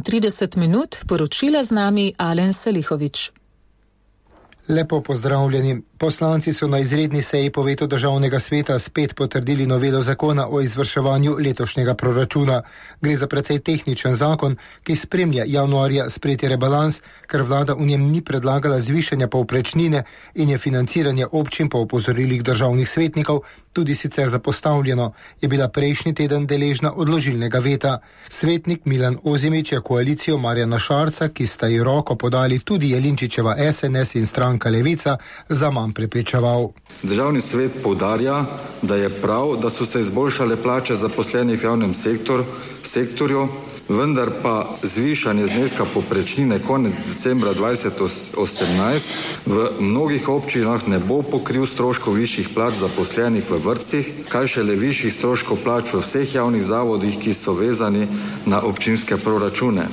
30 minut, poročila z nami Alen Salihovič. Lepo pozdravljeni. Poslanci so na izredni seji po vetu državnega sveta spet potrdili novelo zakona o izvrševanju letošnjega proračuna. Gre za precej tehničen zakon, ki spremlja januarja sprejeti rebalans, ker vlada v njem ni predlagala zvišanja povprečnine in je financiranje občin po opozorilih državnih svetnikov tudi sicer zapostavljeno, je bila prejšnji teden deležna odložilnega veta. Svetnik Milan Ozimić je koalicijo Marjana Šarca, ki sta ji roko podali tudi Jelinčičeva SNS in stranka Levica, zaman prepričeval. Državni svet poudarja, da je prav, da so se izboljšale plače zaposlenih v javnem sektorju, vendar pa zvišanje zneska povprečnine konec decembra 2018 v mnogih občinah ne bo pokril stroškov višjih plač zaposlenih v vrtcih, kaj šele višjih stroškov plač v vseh javnih zavodih, ki so vezani na občinske proračune.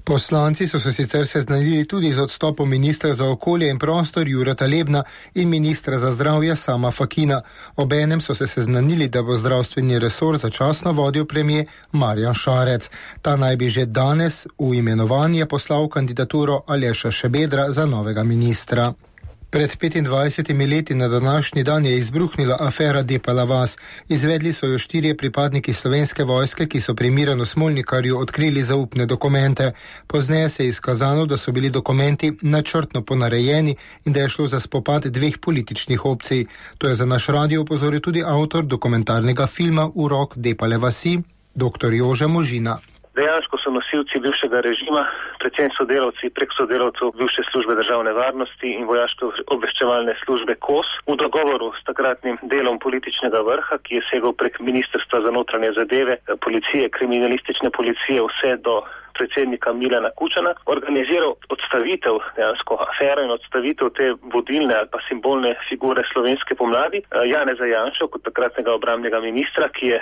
Poslanci so se sicer seznanili tudi z odstopom ministra za okolje in prostor Jureta Lebna in ministra za zdravje Sama Fakina. Obenem so se seznanili, da bo zdravstveni resor začasno vodil premier Marjan Šarec. Ta naj bi že danes v imenovanje poslal kandidaturo Aleša Šabedra za novega ministra. Pred 25 leti na današnji dan je izbruhnila afera Depala vas. Izvedli so jo 4 pripadniki Slovenske vojske, ki so pri Miranu Smolnikarju odkrili zaupne dokumente. Pozneje se je izkazalo, da so bili dokumenti načrtno ponarejeni in da je šlo za spopad 2 političnih opcij. To je za naš radio opozoril tudi avtor dokumentarnega filma Urok Depale vasi, dr. Jože Možina. Dejansko so nosilci bivšega režima, predvsem sodelavci prek sodelavcev bivše službe državne varnosti in vojaške obveščevalne službe KOS v dogovoru s takratnim delom političnega vrha, ki je segal prek Ministrstva za notranje zadeve, policije, kriminalistične policije, vse do predsednika Milana Kučana, organiziral odstavitev dejansko afere in odstavitev te vodilne ali pa simbolne figure slovenske pomladi, Janeza Janšo kot takratnega obrambnega ministra, ki je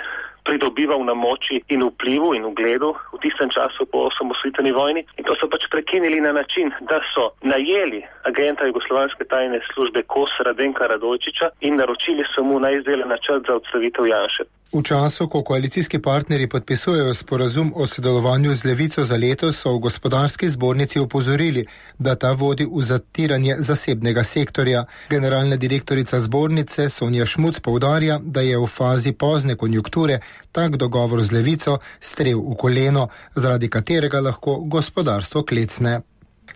pridobival na moči in vplivu in ugledu v tistem času po osamosvojitveni vojni. In to so pač prekinili na način, da so najeli agenta jugoslovanske tajne službe KOS Radenka Radojčiča in naročili so mu naj izdela načrt za odstavitev Janše. V času, ko koalicijski partnerji podpisujejo sporazum o sodelovanju z Levico za letos, so v gospodarski zbornici opozorili, da ta vodi v zatiranje zasebnega sektorja. Generalna direktorica zbornice Sonja Šmuc poudarja, da je v fazi pozne konjunkture tak dogovor z Levico strel v koleno, zaradi katerega lahko gospodarstvo klecne.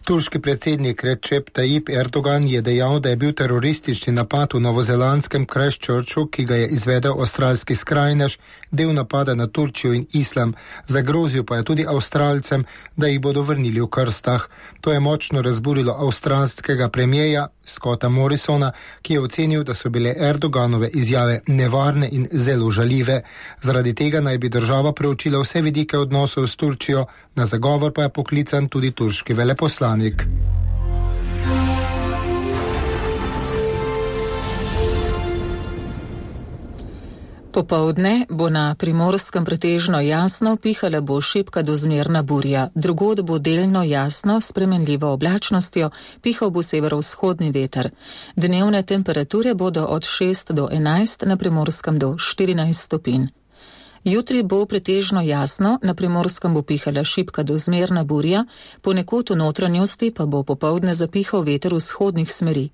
Turški predsednik Recep Tayyip Erdogan je dejal, da je bil teroristični napad v novozelandskem Christchurchu, ki ga je izvedel avstralski skrajnež, del napada na Turčijo in islam. Zagrozil pa je tudi Avstralcem, da jih bodo vrnili v krstah. To je močno razburilo avstralskega premierja Scotta Morrisona, ki je ocenil, da so bile Erdoganove izjave nevarne in zelo žaljive. Zaradi tega naj bi država preučila vse vidike odnosov s Turčijo, na zagovor pa je poklican tudi turški veleposlanik. Popoldne bo na Primorskem pretežno jasno, pihala bo šibka do zmerna burja. Drugod bo delno jasno, s spremenljivo oblačnostjo, pihal bo severovzhodni veter. Dnevne temperature bodo od 6 do 11, na Primorskem do 14 stopinj. Jutri bo pretežno jasno, na Primorskem bo pihala šibka do zmerna burja, ponekod v notranjosti pa bo popoldne zapihal veter vzhodnih smeri.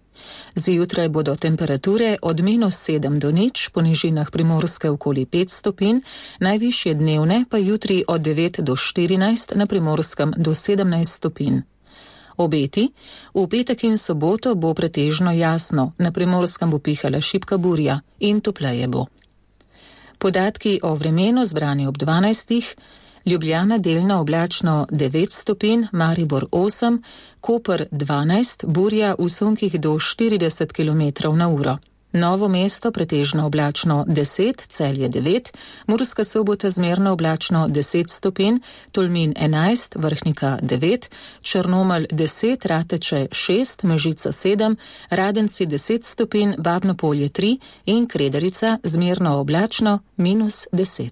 Zjutraj bodo temperature od -7 do 0, po nižinah Primorske okoli 5 stopinj, najvišje dnevne pa jutri od 9 do 14, na Primorskem do 17 stopinj. Obeti: v petek in soboto bo pretežno jasno, na Primorskem bo pihala šibka burja in topleje bo. Podatki o vremenu zbrani ob 12. Ljubljana delno oblačno 9 stopinj, Maribor 8, Koper 12, burja v sunkih do 40 km/h. Novo mesto pretežno oblačno 10, Celje 9, Murska Sobota zmerno oblačno 10 stopinj, Tolmin 11, Vrhnika 9, Črnomelj 10, Rateče 6, Mežica 7, Radenci 10 stopinj, Babno Polje 3 in Kredarica zmerno oblačno -10.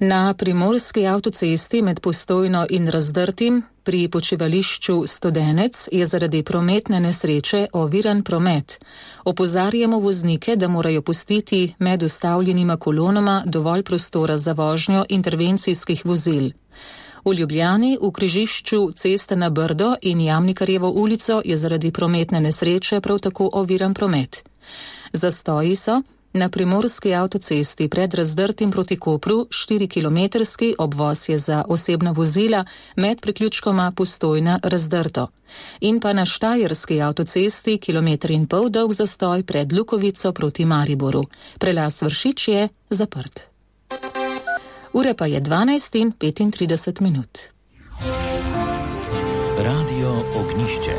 Na primorski avtocesti med Postojno in Razdrtim pri počivališču Studenec je zaradi prometne nesreče oviran promet. Opozarjamo voznike, da morajo pustiti med ustavljenima kolonama dovolj prostora za vožnjo intervencijskih vozil. V Ljubljani v križišču Ceste na Brdo in Jamnikarjevo ulico je zaradi prometne nesreče prav tako oviran promet. Zastoji so na primorski avtocesti pred Razdrtim proti Kopru 4-kilometrski, obvoz je za osebna vozila med priključkoma Postojna-Razdrto. In pa na štajerski avtocesti 1,5 kilometra dolg zastoj pred Lukovico proti Mariboru. Prelaz Vršič je zaprt. Ure pa je 12:35. Radio Ognišče.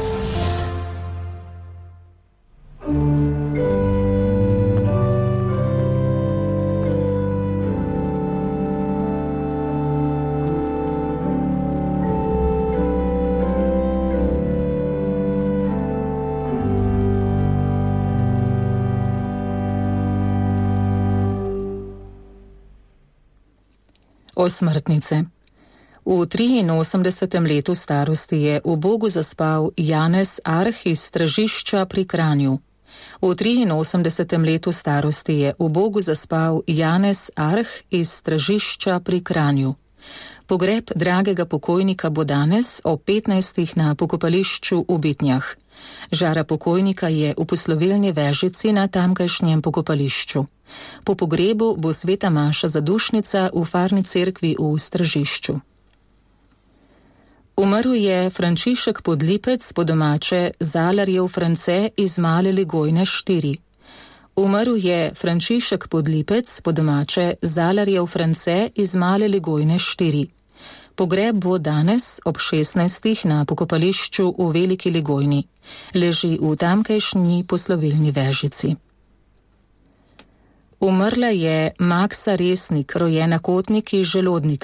Osmrtnice. V 83. letu starosti je v Bogu zaspal Janez Arh iz Stražišča pri Kranju. V 83. letu starosti je v Bogu zaspal Janez Arh iz Stražišča pri Kranju. Pogreb dragega pokojnika bo danes ob 15. na pokopališču v Bitnjah. Žara pokojnika je v poslovilni vežici na tamkajšnjem pokopališču. Po pogrebu bo sveta maša zadušnica v farni cerkvi v Stražišču. Umrl je Frančišek Podlipec, po domače Zalarjev France iz Male Ligojne 4. Umrl je Frančišek Podlipec, po domače Zalarjev France iz Male Ligojne 4. Pogreb bo danes ob 16. na pokopališču v Veliki Ligojni. Leži v tamkajšnji poslovilni vežici. Umrla je Maksa Resnik, rojena Kotnik iz Želodnika.